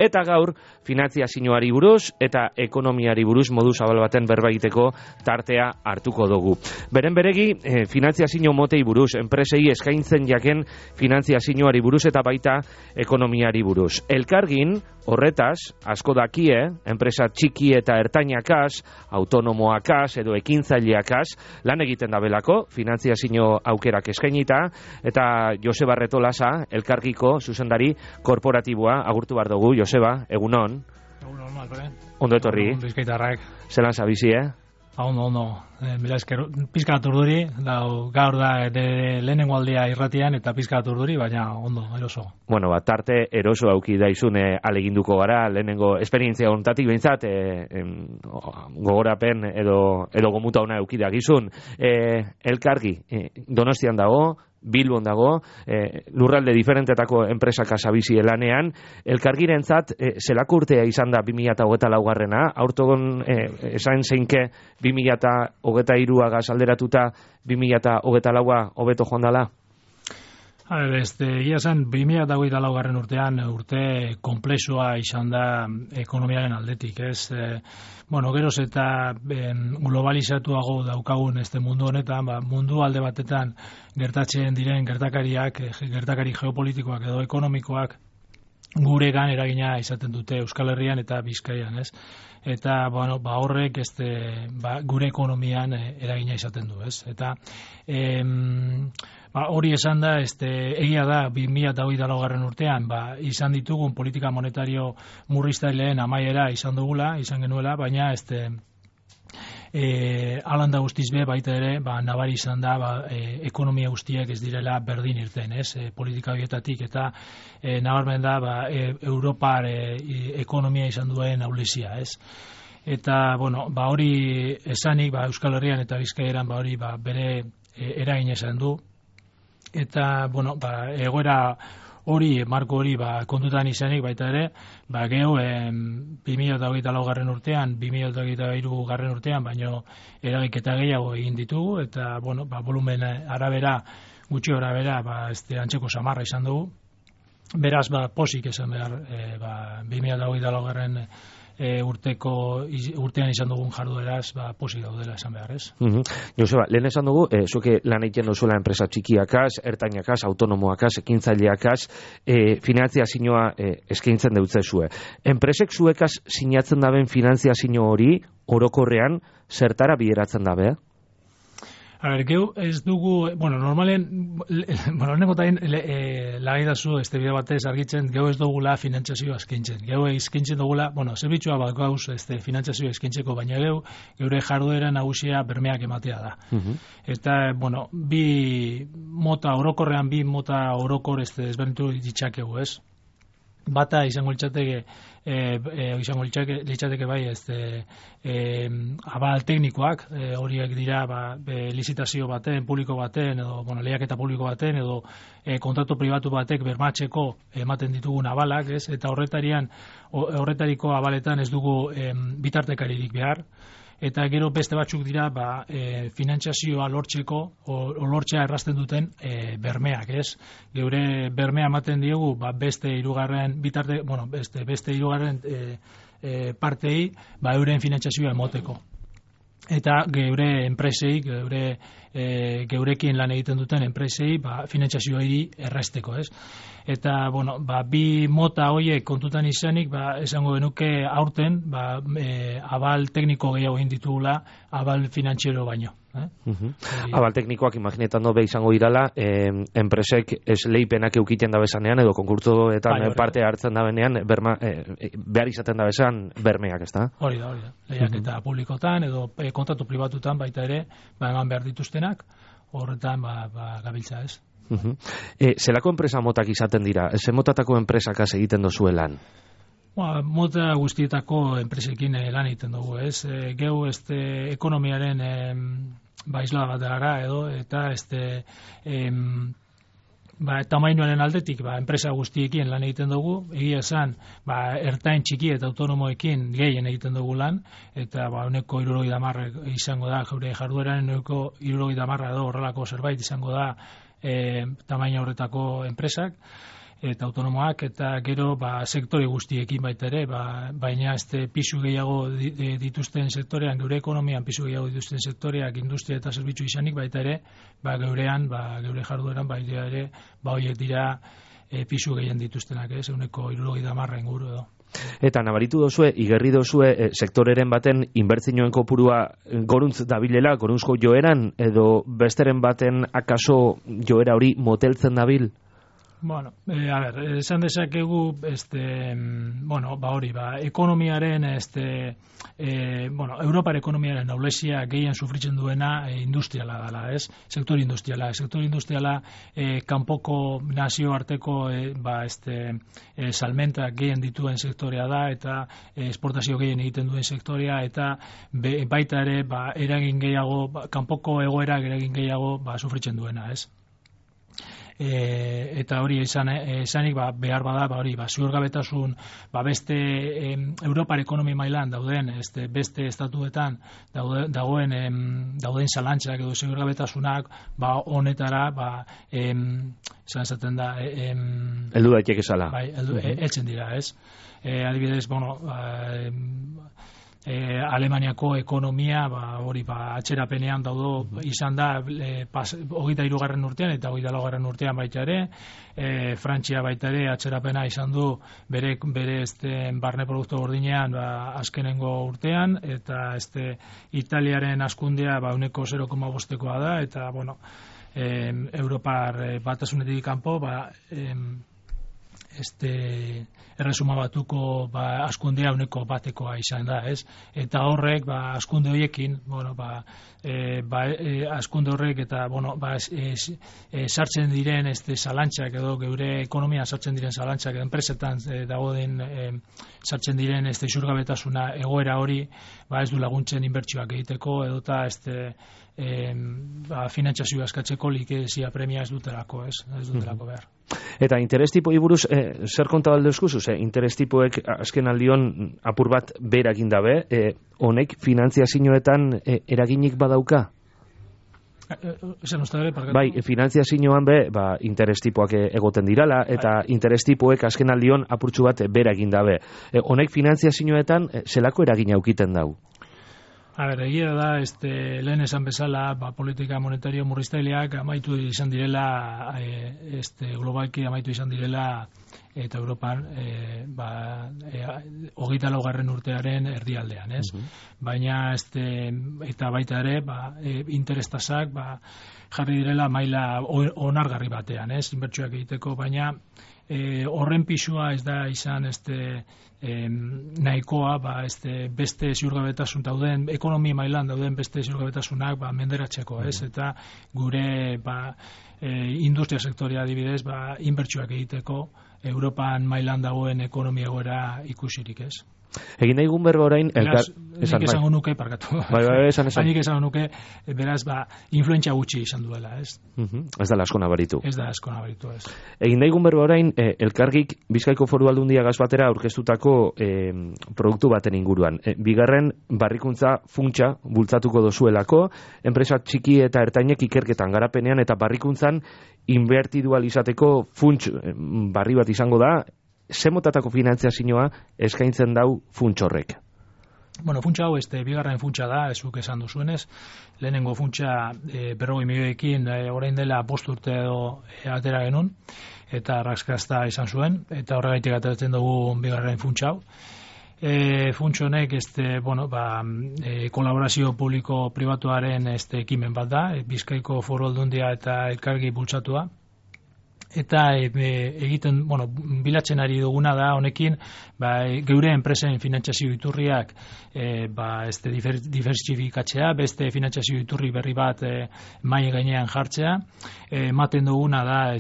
Eta gaur, finantziazioari buruz eta ekonomiari buruz modu zabal baten berba egiteko tartea hartuko dugu. Beren beregi, finantziazio motei buruz, enpresei eskaintzen jaken finantziazioari buruz eta baita ekonomiari buruz. Elkargin, horretaz, asko dakie, enpresa txiki eta ertainakaz, autonomoakaz edo ekintzaileakaz, lan egiten dabelako, finantziazio aukerak eskainita, eta Joseba Retolasa, Elkargiko zuzendari korporatiboa, agurtu behar dugu. Joseba, egunon. Egunon, Alpere. Ondo etorri. Bizkaitarrak. Zelan zabizi, Ondo. Mila esker, pizka bat urduri, gaur da lehenengo aldia irratian eta pizka bat urduri, baina ondo, eroso. Bueno, tarte eroso auki daizun aleginduko gara, lehenengo esperientzia honetatik behintzat, gogorapen edo gomuta ona auki da gizun. Elkargi, Donostian dago, Bilbon dago, lurralde diferentetako enpresaka zabizi lanean. Elkargirentzat, zelako urtea izan da 2024 aurtogon esain zeinke 2023 alderatuta 2024 hobeto joan dela? Egia zen, 2024 urtean urte komplexua izan da ekonomiaren aldetik, ez? Geroz eta globalizatuago daukagun mundu honetan, mundu alde batetan gertatzen diren gertakari geopolitikoak edo ekonomikoak guregan eragina izaten dute Euskal Herrian eta Bizkaian, ez? Eta horrek gure ekonomian eragina izaten du, ez? Eta hori esan da, egia da 2024 urtean izan ditugun politika monetario murriztaileen amaiera izan genuela, baina alanda guztiz be baita ere nabari izan da ekonomia guztiak ez direla berdin irten, ez? Politika horietatik eta nabarmen da Europar ekonomia izan duen ahulezia, ez? Eta hori esanik Euskal Herrian eta Bizkaian hori bere eragina izan du. Eta, egoera hori, marko hori kontutan izanik baita ere, geho 2024 urtean, 2023 urtean, baino eragiketa gehiago egin ditugu, eta, volumen arabera, gutxi arabera, antzeko samarra izan dugu. Beraz, posik esan behar, 2024 urtean izan dugun jardueraz, posik daudela esan behar, ez? Joseba, lehen esan dugu, zuke lan egiten duzuela enpresa txikiakaz, ertainakaz, autonomoakaz, ekintzaileakaz, finantziazioa eskaintzen deutzezue. Enpresek zuekaz sinatzen daben finantziazio hori, orokorrean, zertara bideratzen dabe? Geu ez dugu, normalen, honeko tain lagaidazu bide batez argitzen, geu ez dugula finantziazioa eskaintzen. Geu eskaintzen dugula, zerbitzua gauz finantziazioa eskaintzeko, baina geure jarduera nagusia bermeak ematea da. Eta, bi mota orokor ezberdintu ditzakegu, ez? Bata izango litzateke bai abal teknikoak, horiek dira lizitazio baten, publiko baten, edo lehiaketa publiko baten, edo kontratu pribatu batek bermatzeko ematen ditugun abalak, ez? Eta horretariko abaletan ez dugu bitartekaririk behar. Eta gero beste batzuk dira finantziazioa lortzeko lortzea errazten duten bermeak, ez? Geure bermea ematen diogu beste hirugarren partei euren finantziazioa emoteko. Eta geure enpresei, geurekin lan egiten duten enpresei finantziazioari errazteko, ez? Eta, bi mota horiek kontutan izanik, esango genuke aurten, abal tekniko gehiago egin ditugula, abal finantziero baino. Abal teknikoak imaginetan dobe izango irala, enpresek esleipenak eukiten dabezanean, edo konkurtsoetan parte hartzen dabenean, behar izaten dabesan bermeak, ez da? Hori da. Lehiaketa publikotan, edo kontratu pribatutan baita ere, eman behar dituztenak, horretan gabiltza, ez? Zelako enpresa motak izaten dira? Ze motatako enpresakaz egiten dozuelan? Mota guztietako enpresekin lan egiten dugu, ez? Geu ekonomiaren isla bat gara edo, eta tamainoaren aldetik enpresa guztiekin lan egiten dugu, egia esan ertain txiki eta autonomoekin gehien egiten dugu lan, eta uneko 70 izango da geure jardueran, uneko 70 edo horrelako zerbait izango da tamaina horretako enpresak. eta autonomoak, eta gero sektore guztiekin baita ere, baina pisu gehiago dituzten sektorean, geure ekonomian pisu gehiago dituzten sektoreak, industria eta zerbitzu izanik baita ere, geurean, geure jardueran baita ere, horiek dira pisu gehien dituztenak, ehuneko 70 inguru edo. Eta nabaritu dozue, igerri dozue, sektoreren baten inbertsioen kopurua goruntz dabilela, goruntzko joeran, edo besteren baten akaso joera hori moteltzen dabil? Bueno, esan dezakegu, hori, ekonomiaren, Europar ekonomiaren noblesia gehien sufritzen duena industriala dela, Sektor industriala. Sektor industriala kanpoko nazioarteko salmentak gehien dituen sektorea da, eta esportazio gehien egiten duen sektorea, eta baita ere, eragin gehiago, kanpoko egoerak eragin gehiago sufritzen duena, eta hori esanik behar bada hori ziurgabetasun beste Europar ekonomi mailan dauden beste estatuetan dauden zalantzak edo ziurgabetasunak honetara esaten da heldu daiteke zala heltzen dira, adibidez, Alemaniako ekonomia hori atxerapenean daudo izan da 23. urtean eta 24. urtean baita ere, Frantzia baita ere atxerapena izan du bere barne produktu gordinean azkenengo urtean, eta Italiaren hazkundea ehuneko 0,5koa da, eta Europar batasunetik kanpo erresuma batuko hazkundea ehuneko 1koa izan da, eta horrek hazkunde horiekin, hazkunde horrek eta sartzen diren zalantzak edo geure ekonomia sartzen diren zalantzak edo enpresetan dagoen sartzen diren ziurgabetasuna egoera hori ez du laguntzen inbertsioak egiteko edota finantzazioa eskatzeko likezia premia ez dutelako behar. Eta interes tipoi buruz, zer konta balde eskuzuz? Interes tipoek azken aldion apur bat berakin dabe, honek finantziazioetan eraginik badauka? Bai, finantziazioan interes tipoak egoten dirala, eta interes tipoek azken aldion apurtxu bat berakin dabe. Honek finantziazioetan zelako eragina aukiten dau? Egia da, lehen esan bezala, politika monetario murriztaileak amaitu izan direla, globalki amaitu izan direla, eta Europan 24. urtearen erdialdean, Baina, eta baita ere, interestasak jarri direla maila onargarri batean, inbertsioak egiteko, baina horren pisua ez da izan nahikoa beste ziurgabetasun dauden, ekonomia mailan dauden beste ziurgabetasunak menderatzeko, eta gure industria sektorea adibidez inbertsioak egiteko Europan mailan dagoen ekonomia egoera ikusirik, Egin daigun berba orain... Nik esango nuke, parkatu. Nik esango nuke, beraz, influentzia gutxi izan duela, Ez da asko nabaritu. Ez da asko nabaritu, Egin daigun berba orain, Elkargik Bizkaiko Foru Aldundia gaz batera aurkeztutako produktu baten inguruan. Bigarren, barrikuntza funtsa bultzatuko dozuelako, enpresa txiki eta ertainek ikerketan garapenean eta barrikuntzan inbertidual izateko funts barri bat izango da, zemotatako finantziazioa eskaintzen dau funtsorrek? Funtsa hau bigarren funtsa da, ezuk esan duzuenez. Lehenengo funtsa 40 milioekin orain dela 5 urte edo atera genuen, eta raskazta izan zuen, eta horregaitik ateratzen dugu bigarren funtsa hau. Funts honek kolaborazio publiko-pribatuaren ekimen bat da, Bizkaiko Foru Aldundia eta Elkargi bultzatua. Eta egiten, bilatzen ari duguna da honekin, geure enpresen finantzazio iturriak diversifikatzea, beste finantzazio iturri berri bat mai gainean jartzea, ematen duguna da,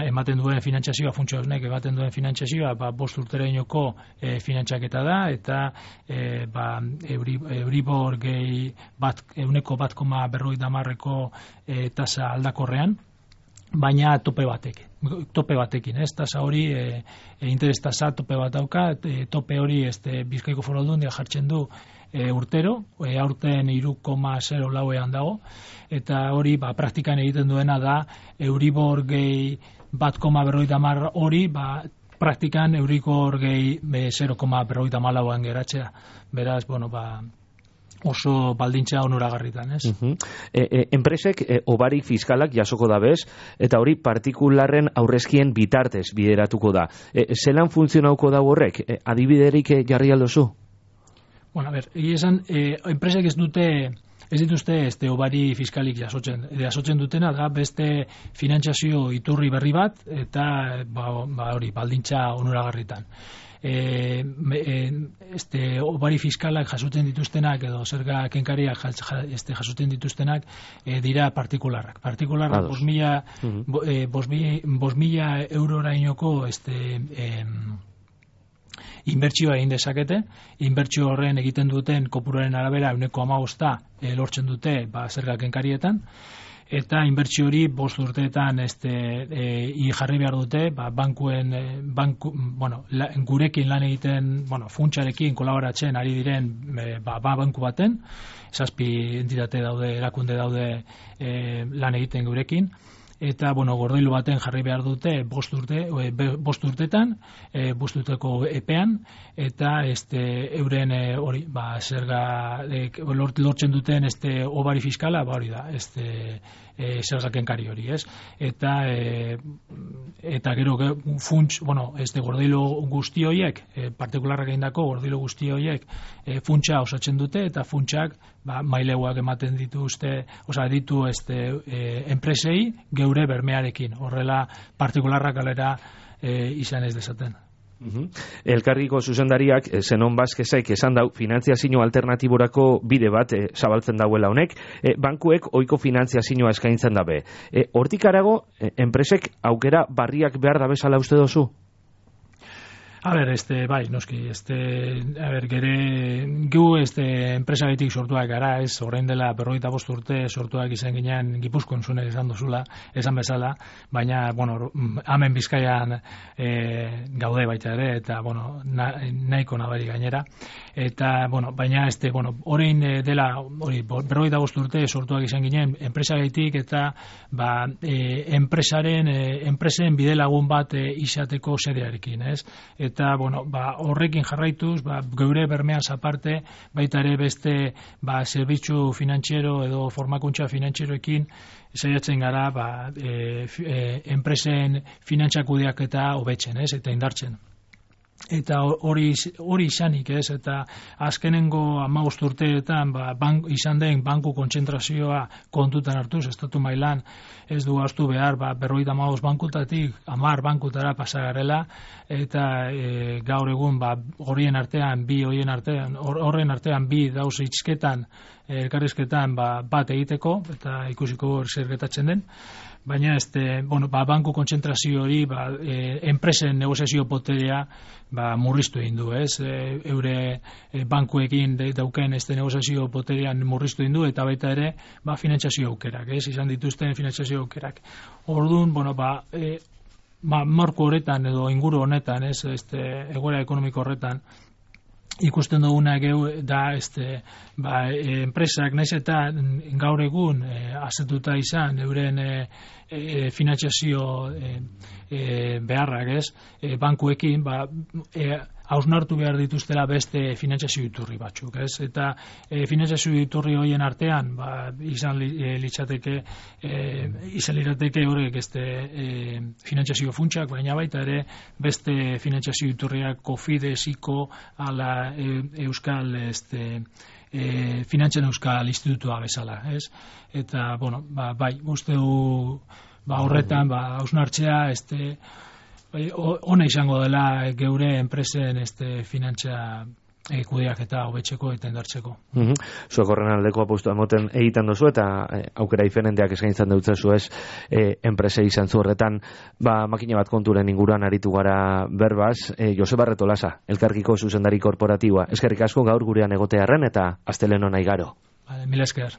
ematen duen finantzazioa, funtsa honek ematen duen finantzazioa, 5 urterainoko finantzaketa da, eta Euribor gehi 1,40ko tasa aldakorrean, baina tope batekin, tasa hori interes tasa tope bat dauka, tope hori Bizkaiko Foru Aldundia jartzen du urtero, aurten 3,04ean dago, eta hori praktikan egiten duena da Euribor gehi 1,50 hori, praktikan eurikor gehi 0,54an geratzea. Beraz, oso baldintza onuragarritan, ez? Enpresek obari fiskalak jasoko da bez, eta hori partikularren aurrezkien bitartez bideratuko da. Zelan funtzionauko da horrek? Adibiderik jarri aldozu? Esan, enpresek ez dituzte obari fiskalik jasotzen dutena da beste finantzazio iturri berri bat eta hori baldintza onuragarritan. Obari fiskalak jasuten dituztenak edo zerga kenkariak jasuten dituztenak dira partikularrak. Partikularrak 5.000 eurorainoko inbertsioa egin dezakete, inbertsio horren egiten duten kopuruaren arabera 15% lortzen dute zerga kenkarietan, eta inbertsio hori 5 urteetan jarri behar dute, gurekin lan egiten, funtsarekin kolaboratzen ari diren banku baten, 7 entitate daude, erakunde daude lan egiten gurekin, eta gordailu baten jarri behar dute 5 urtetan, 5 urteko epean, eta euren hori, zerga lortzen duten obari fiskala, hori da, zerga kenkari hori, ez? Eta gero funts, gordailu guzti horiek, partikularrak egindako gordailu guzti horiek funtsa osatzen dute, eta funtsak maileguak ematen dituzte, ditu enpresei geure bermearekin, horrela partikularrak alera izan ez dezaten. Elkargiko zuzendariak Zenon Baskesaik esan dau finantziazio alternatiborako bide bat zabaltzen dauela honek, bankuek ohiko finantziazioa eskaintzen dabe. Hortik harago, enpresek aukera barriak behar da bezala uste dozu? Noski, enpresagaitik sortuak gara, ez, orain dela 45 urte sortuak izan ginean Gipuzkoan zune esan dozula, esan bezala, baina, hemen Bizkaian gaude baita ere, eta, nahiko nabari gainera, eta, baina, orain dela, 45 urte sortuak izan ginean enpresagaitik, eta, enpresen bidelagun bat izateko sedearekin, ez? Eta, horrekin jarraituz, geure bermeaz aparte, baita ere beste, zerbitzu finantziero edo formakuntza finantzeroekin saiatzen gara, enpresen finantzakudeak eta hobetzen, ez? Eta indartzen. Eta hori izanik, ez? Eta azkenengo 15 urteetan izan den banku kontzentrazioa kontutan hartuz, estatu mailan ez du ahaztu behar, 55 bankutatik 10 bankutara pasagarela, eta gaur egun horren artean bi dauz itzketan, elkarrizketan bat egiteko, eta ikusiko zer gertatzen den. Baina banku kontzentrazio hori enpresen negoziazio poterea murriztu egin du, ez? Eure bankuekin dauken negoziazio poterean murriztu egin du, eta baita ere finantzazio aukerak, ez? Izan dituzten finantzazio aukerak. Orduan, marko horretan edo inguru honetan, ez? Egoera ekonomiko horretan ikusten duguna da enpresak naiz eta gaur egun azetuta izan euren finantzazio beharrak, ez? Bankuekin hausnartu behar dituztela beste finantzazio iturri batzuk, ez? Eta finantzazio iturri horien artean izan lirateke horrek finantzazio funtsak, baina baita ere beste finantzazio iturriak Cofides, ICO, ala Euskal Finantzen Euskal Institutua bezala, ez? Eta, uste du horretan hausnartzea ona izango dela geure enpresen finantza kudeak eta hobetzeko eta indartzeko. Zuek horren aldeko apustu emoten egiten dozu eta aukera diferenteak eskaintzen dutzezu, ez, enprese izan zu horretan, makina bat konturen inguruan aritu gara berbaz. Joseba Retolasa, Elkargiko zuzendari korporatiboa, eskerrik asko gaur gurean egotearren eta astelehen ona igaro. Mila esker.